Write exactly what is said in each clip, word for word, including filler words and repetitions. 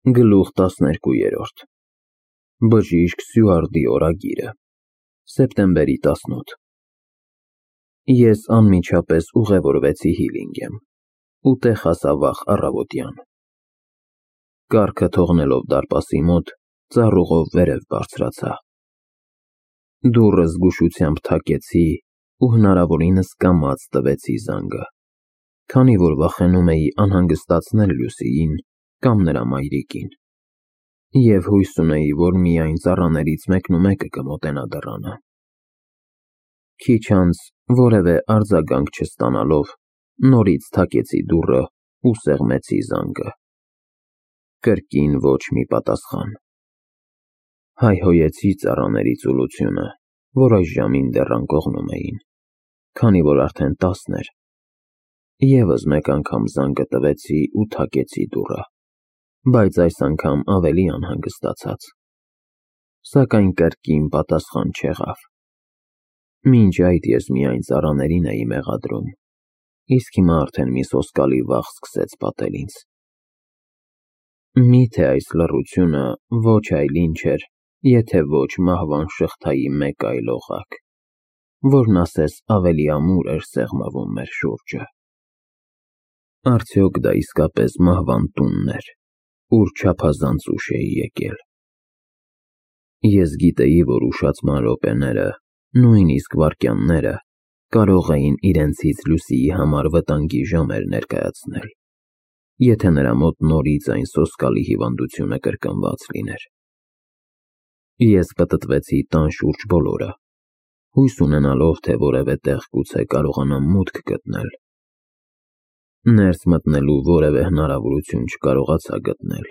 Գլուխ տասներկուերորդ Բժիշկ Սյուարդի օրագիրը Սեպտեմբերի տասնութ Ես անմիջապես ուղևորվեցի Հիլինգեմ ու տեղ հասա վաղ առավոտյան։ Կառքը թողնելով դարպասի մոտ, ծառուղով վերև բարձրացա։ Դուռը զգուշությամբ թակեցի ու հնարավորինս կամաց տվեցի զանգը, քանի որ վախենում էի անհանգստացնել Լուսիին կամ նրա մայրիկին, և հույս ունեի, որ միայն ծառաներից մեկնումեկը կմոտենա դռանը։ Քիչ անց, որևէ արձագանք չստանալով, նորից թակեցի դուռը ու սեղմեցի զանգը։ Կրկին ոչ մի պատասխան։ Հայհոյեցի ծառաների ծուլությունը, որ այս ժամին դեռ անկողնում էին, քանի որ արդեն տասն էր։ Եվս մեկ անգամ զանգը տվեցի ու թակեցի դուռը, բայց այս անգամ ավելի անհանգստացած։ Սակայն կրկին պատասխան չեղավ։ Մինչ այդ ես միայն ծառաներին էի մեղադրում, իսկ հիմա արդեն մի սոսկալի վախ սկսեց պատել ինձ։ Մի՞թե այս լռությունը ոչ այլ ինչ էր, եթե ոչ մահվան շղթայի մեկ այլ օղակ, որն ասես ավելի ամուր էր սեղմվում մեր շուրջը։ Արդյոք դա իսկապես մահվան տունն էր, ուր չափազանց ուշ էի եկել։ Ես գիտեի, որ ուշացման րոպեները, նույնիսկ վայրկյանները, կարող էին իրենցից Լուսիի համար վտանգի ժամեր ներկայացնել, եթե նրա մոտ նորից այն սոսկալի հիվանդությունը կրկնված լիներ։ Ես պտտվեցի տան շուրջ բոլորը, հույս ունենալով, թե որևէ տեղ գուցե կարողանամ մուտք գտնել։ Ներս մտնելու որևէ հնարավորություն չկարողացա գտնել։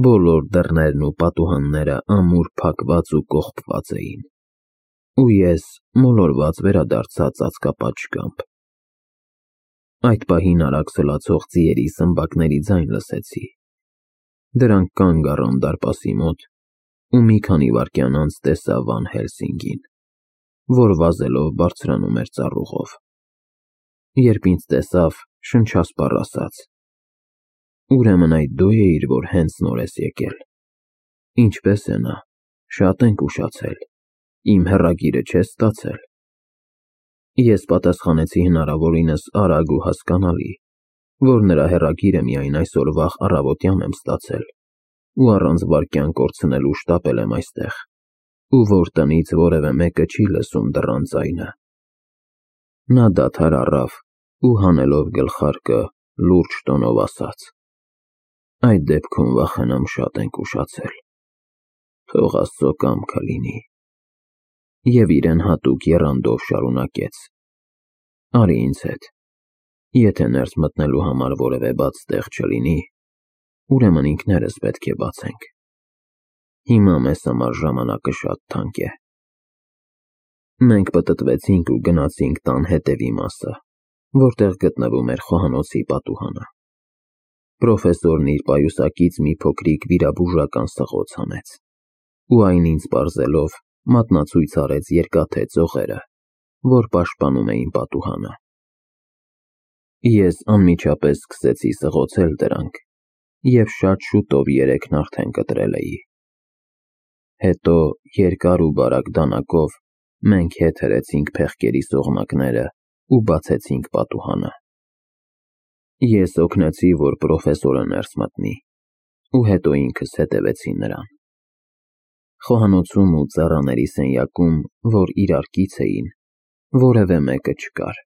Բոլոր դռներն ու պատուհանները ամուր փակված ու կողպված էին, ու ես մոլորված վերադարձա ծածկապատ։ Այդ պահին արագ սլացող ձիերի սմբակների ձայն լսեցի։ Դրանք կանգ առան դարպասի մոտ, ու մի քանի վայրկյան անց տեսա Վան Հելսինգին, որ վազելով բարձրանում էր ծառուղով։ Երբ ինձ տեսավ, շնչասպառ ասաց. «Ուրեմն այդ դու էիր, որ հենց նոր ես եկել։ Ինչպե՞ս է նա, շատ ենք ուշացել, իմ հեռագիրը չես ստացել»։ Ես պատասխանեցի հնարավորինս արագ ու հասկանալի, որ նրա հեռագիրը միայն այսօր վաղ առավոտյան եմ ստացել ու առանց վայրկյան կորցնելու շտապել եմ այստեղ, ու որ տնից որևէ մեկը չի լսում դռան ձայնը։ Նա դադար առավ ու հանելով գլխարկը լուրջ տոնով ասաց. «Այդ դեպքում վախենամ շատ ենք ուշացել։ Թող Աստծո կամքը լինի»։ Եվ իրեն հատուկ եռանդով շարունակեց. «Արի ինձ հետ։ Եթե ներս մտնելու համար որևէ բաց տեղ չլինի, ուրեմն ինքներս պետք է բացենք։ Հիմա մեզ համար ժամանակը շատ թանկ է»։ Մենք պտտվեցինք ու գնացինք տան հետևի մասը, որտեղ գտնվում էր խոհանոցի պատուհանը։ Պրոֆեսորն իր պայուսակից մի փոքրիկ վիրաբուժական սղոց հանեց, ու այն ինձ պարզելով, մատնացույց արեց երկաթե ծողերը, որ պաշտպանում էին պատուհանը։ Ես անմիջապես սկսեցի սղոցել դրանք, և շատ շուտով երեքն արդեն կտրել էի։ Հետո երկար ու բարակ դանակով մենք հետ հրեցինք փեղկերի սողնակները ու բացեցինք պատուհանը։ Ես օգնեցի, որ պրոֆեսորը ներս մտնի, ու հետո ինքս հետևեցի նրան։ Խոհանոցում ու ծառաների սենյակում, որ իրարքից էին, որևէ մեկը չկար։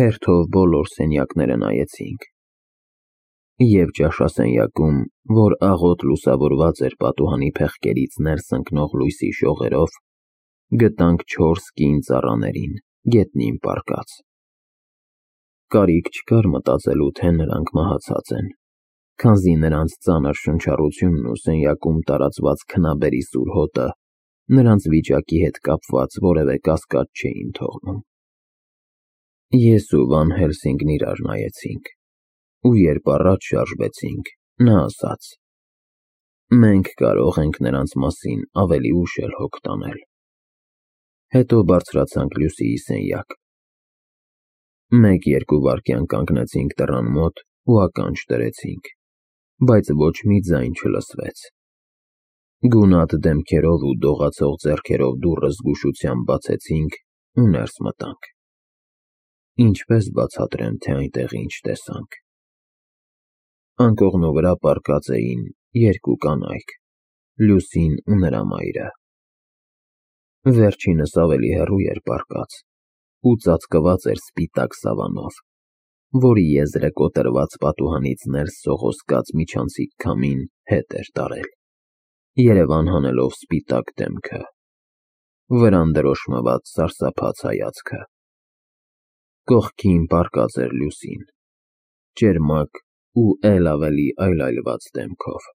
Հերթով բոլոր սենյակները նայեցինք։ Եվ ճաշասենյակում, որ աղոտ լուսավորված էր պատուհանի փեղկերից ներս ընկնող լույսի շողերով, գտանք չորս կին ծառաներին գետնին պառկած։ Կարիք չկար մտածելու, թե նրանք մահացած են, քանզի նրանց ծանր շնչառությունն ու սենյակում տարածված քնաբերի սուր հոտը նրանց վիճակի հետ կապված որևէ կասկած չէին թողնում։ Ես ու Վան Հելսինգն իրար նայեցինք, ու երբ առաջ շարժվեցինք, նա ասաց. «Մենք կարող ենք նրանց մասին ավելի ուշ էլ հոգ տանել»։ Հետո բարձրացանք Լուսիի սենյակ։ Մեկ-երկու վայրկյան կանգնեցինք դռան մոտ ու ականջ դրեցինք։ բայց ոչ մի ձայն չլսվեց։ Գունատ դեմքերով ու դողացող ձեռքերով դուռը զգուշությամբ բացեցինք ու ներս մտանք։ Ինչպես բացատրեմ, թե այնտեղ ինչ տեսանք։ Անկողնու վրա պառկած էին երկու կանայք՝ Լուսին ու նրա մայրը։ Վերջինս ավելի հեռու էր պառկած ու ծածկված էր սպիտակ սավանով, որի եզրը կոտրված պատուհանից ներս սողոսկած միջանցիկ քամին հետ էր տարել, երևան հանելով սպիտակ դեմքը, վրան դրոշմված սարսափած հայացքը։ Կողքին պառկած էր Լուսին, ճերմակ ու էլ ավելի այլայլված դեմքով։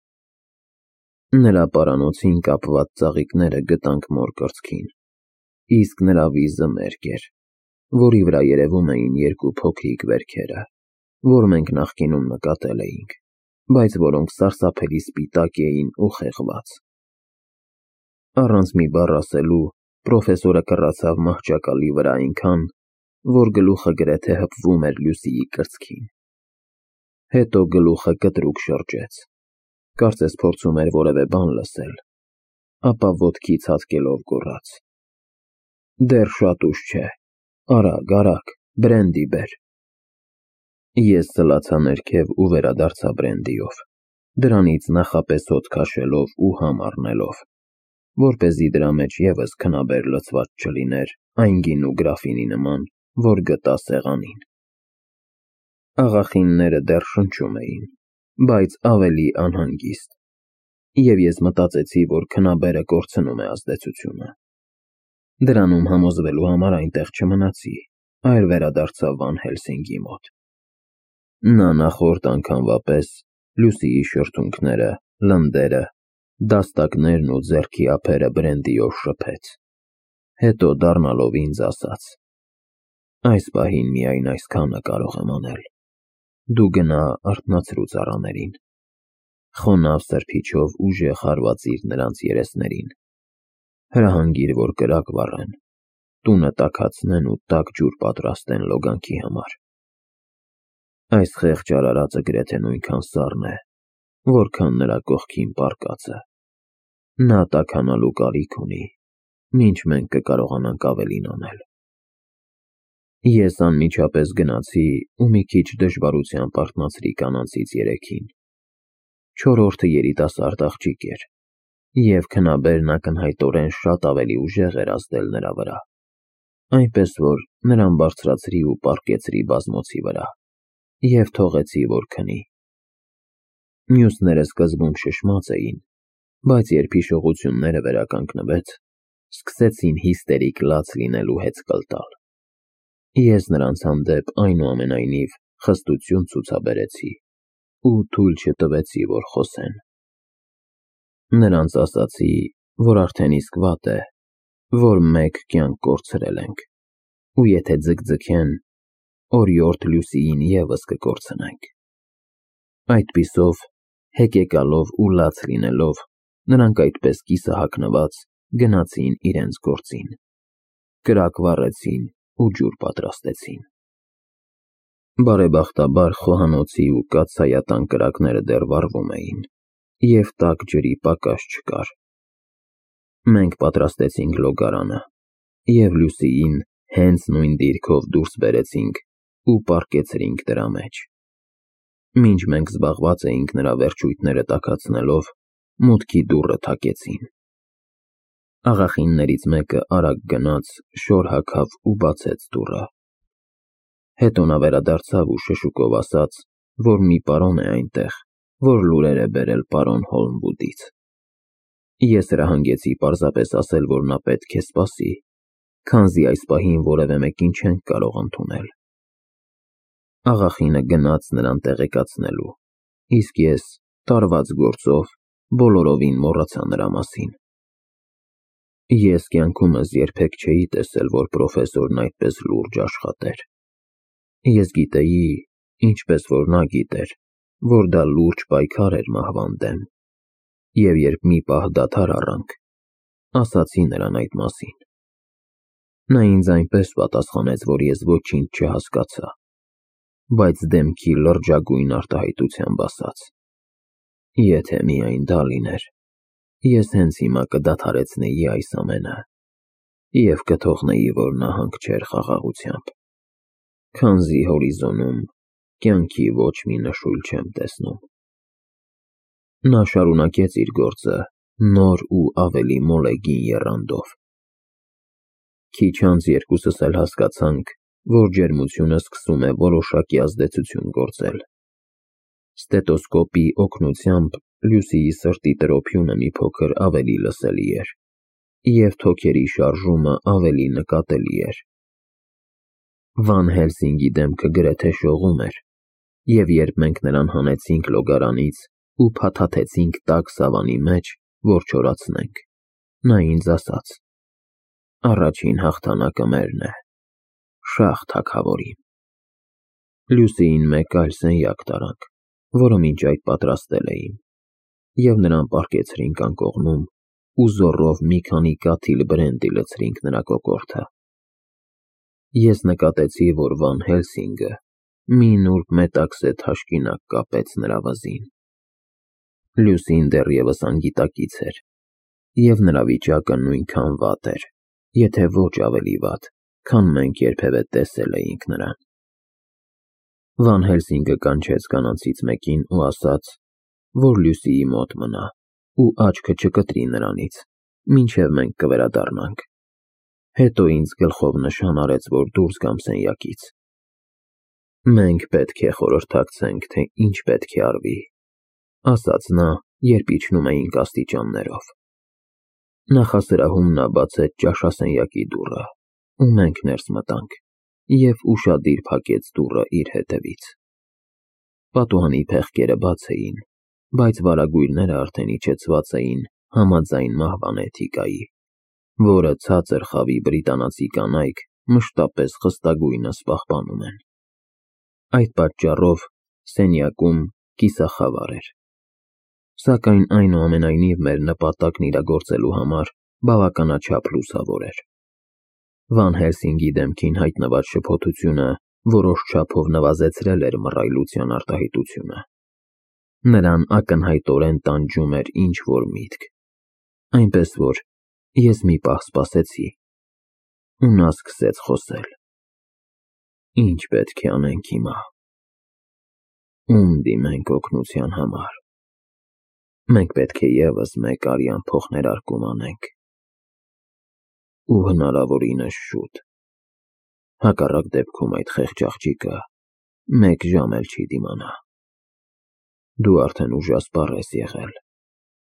Նրա պարանոցին կապված ծաղիկները գտանք մոր կրծքին, իսկ նրա վիզը մերկ էր, որի վրա երևում էին երկու փոքրիկ վերքերը, որ մենք նախկինում նկատել էինք, բայց որոնք սարսափելի սպիտակ էին ու խեղված։ Առանց մի բառ ասելու պրոֆեսորը կռացավ մահճակալի վրա այնքան, որ գլուխը գրեթե հպվում էր Լուսիի կրծքին։ Հետո գլուխը կտրուկ շրջեց, կարծես փորձում էր որևէ բան լսել, ապա ոտքից հատկելով գոռաց. «Դեռ շատ ուշ չէ, արագ, արագ, բրենդի բեր»։ Ես սլացա ներքև ու վերադարձա բրենդիով, դրանից նախապես հոտ քաշելով ու համ առնելով, որպեսզի դրա մեջ ևս քնաբեր լցված չլիներ այն գինու գրաֆինի նման, որ գտա սեղանին։ Աղախինները դեռ շնչում էին, բայց ավելի անհանգիստ, և ես մտածեցի, որ քնաբերը կորցնում է ազդեցությունը։ Դրանում համոզվելու համար այնտեղ չմնացի, այլ վերադարձա Վան Հելսինգի մոտ։ Նա նախորդ անգամվա պես Լուսիի շրթունքները, լնդերը, դաստակներն ու ձեռքի ափերը բրենդիով շփեց, հետո դառնալով ինձ ասաց. «Այս պահին միայն այսքանը կարող եմ անել, դու գնա արթնացրու ծառաներին, խոնավ սրբիչով ուժեղ հարվածիր նրանց երեսներին, հրահանգիր, որ կրակ վառեն, տունը տաքացնեն ու տաք ջուր պատրաստեն լոգանքի համար։ Այս խեղճ արարածը գրեթե նույնքան սառն է, որքան նրա կողքին պառկածը։ Նա տաքանալու կարիք ունի, մինչ մենք կկարողանանք ավելին անել»։ Ես անմիջապես գնացի ու մի քիչ դժվարությամբ արթնացրի կանանցից երեքին։ Չորրորդը երիտասարդ աղջիկ էր, և քնաբերն ակնհայտորեն շատ ավելի ուժեղ էր ազդել նրա վրա, այնպես որ նրան բարձրացրի ու պառկեցրի բազմոցի վրա և թողեցի, որ քնի։ Մյուսները սկզբում շշմած էին, բայց երբ հիշողությունները վերականգնվեց, սկսեցին հիստերիկ լաց լինելու հեծկլ տալ։ Ես նրանց հանդեպ այնուամենայնիվ խստություն ցուցաբերեցի ու թույլ չտվեցի, որ խոսեն։ Նրանց ասացի, որ արդեն իսկ վատ է, որ մեկ կյանք կորցրել ենք, ու եթե ձգձգեն, օրիորդ Լուսիին ևս կկորցնենք։ Այդպիսով, հեկեկալով ու լաց լինելով, նրանք այդպես կիսահագնված գնացին իրենց գործին, կրակ վառեցին ու ջուր պատրաստեցին։ Բարեբախտաբար խոհանոցի ու կաթսայատան կրակները դեռ վառվում էին, և տաք ջրի պակաս չկար։ Մենք պատրաստեցինք լոգարանը, և Լուսիին հենց նույն դիրքով դուրս բերեցինք ու պառկեցրինք դրա մեջ։ Մինչ մենք զբաղված էինք նրա վերջույթները տաքացնելով, մուտքի դուռը թակեցին։ Աղախիններից մեկը արագ գնաց, շոր հագավ ու բացեց դուռը։ Հետո նա վերադարձավ ու շշուկով ասաց, որ մի պարոն է այնտեղ, որ լուրեր է բերել պարոն Հոլմվուդից։ Ես հրահանգեցի պարզապես ասել, որ նա պետք է սպասի, քանզի այս պահին որևէ մեկին չենք կարող ընդունել։ Աղախինը գնաց նրան տեղեկացնելու, իսկ ես, տարված գործով, բոլորովին մոռացա նրա մասին։ Ես կյանքումս երբեք չէի տեսել, որ պրոֆեսորն այդպես լուրջ աշխատեր։ Ես գիտեի, ինչպես որ նա գիտեր, որ դա լուրջ պայքար էր մահվան դեմ, և երբ մի պահ դադար առանք, ասացի նրան այդ մասին։ Նա ինձ այնպես պատասխանեց, որ ես ոչինչ չհասկացա, բայց դեմքի լրջագույն արտահայտությամբ ասաց. Եթե միայն դա լիներ, ես հենց հիմա կդադարեցնեի այս ամենը և կթողնեի, որ նա հանգչեր խաղաղությամբ, քանզի հորիզոնում կյանքի ոչ մի նշույլ չեմ տեսնում։ Նա շարունակեց իր գործը նոր ու ավելի մոլեգին եռանդով։ Քիչ անց երկուսս էլ հասկացանք, որ ջերմությունը սկսում է որոշակի ազդեցություն գործել։ Ստետոսկոպի օգնությամբ Լյուսիի սրտի տրոփյունը մի փոքր ավելի լսելի էր, և թոքերի շարժումը ավելի նկատելի էր։ Վան Հելսինգի դեմքը գրեթե շողում էր, և երբ մենք նրան հանեցինք լոգարանից ու փաթաթեցինք տաք սավանի մեջ, որ չորացնենք, նա ինձ ասաց. «Առաջին հաղթանակը մերն է, շահ թագավորին»։ Լյուսիին մեկ այլ սենյակ տարանք, որը մինչ այդ պատրաստել էին, և նրան պառկեցրինք անկողնում ու զոռով մի քանի կաթիլ բրենդի լցրինք նրա կոկորդը։ Ես նկատեցի, որ Վան Հելսինգը մի նուրբ մետաքսե թաշկինակ կապեց նրա վզին։ Լյուսին դեռևս անգիտակից էր, և նրա վիճակը նույնքան վատ էր, եթե ոչ ավելի վատ, քան մենք երբևէ տեսել էինք նրան։ Վան Հելսինգը կանչեց կանանցից մեկին ու ասաց, որ Լյուսիի մոտ մնա ու աչքը չկտրի նրանից, մինչև մենք կվերադառնանք, հետո ինձ գլխով նշան արեց, որ դուրս գամ սենյակից։ «Մենք պետք է խորհրդակցենք, թե ինչ պետք է արվի», ասաց նա, երբ իջնում էինք աստիճաններով։ Նախասրահում նա բացեց ճաշասենյակի դուռը, ու մենք ներս մտանք, և ուշադիր փակեց դուռը իր հետևից։ Պատուհանի փեղկերը բաց էին, բայց վարագույրները արդեն իջեցված էին համաձայն մահվան էթիկայի, որը ցածր խավի բրիտանացի կանայք մշտապես խստագույնս պահպանում են։ Այդ պատճառով սենյակում կիսախավար էր, սակայն այնուամենայնիվ մեր նպատակն իրագործելու համար բավականաչափ լուսավոր էր։ Վան Հելսինգի դեմքին հայտնված շփոթությունը որոշ չափով նվազեցրել էր մռայլության արտահայտությունը։ Նրան ակնհայտորեն տանջում էր ինչ-որ միտք, այնպես որ ես մի պահ սպասեցի, ու նա սկսեց խոսել. «Ինչ պետք է անենք հիմա։ Ում դիմենք օգնության համար։ Մենք պետք է ևս մեկ արյան փոխներարկում անենք, ու հնարավորինս շուտ, հակառակ դեպքում այդ խեղճ աղջիկը մեկ ժամ էլ չի դիմանա։ Դու արդեն ուժասպառ ես եղել,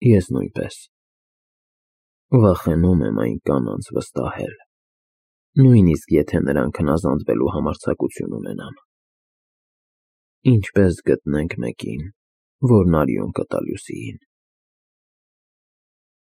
ես նույնպես։ Վախենում եմ այն կանանց վստահել, նույնիսկ եթե նրանք հնազանդվելու համարձակություն ունենան։ Ինչպե՞ս գտնենք մեկին, որն արյուն կտա Լյուսիին»։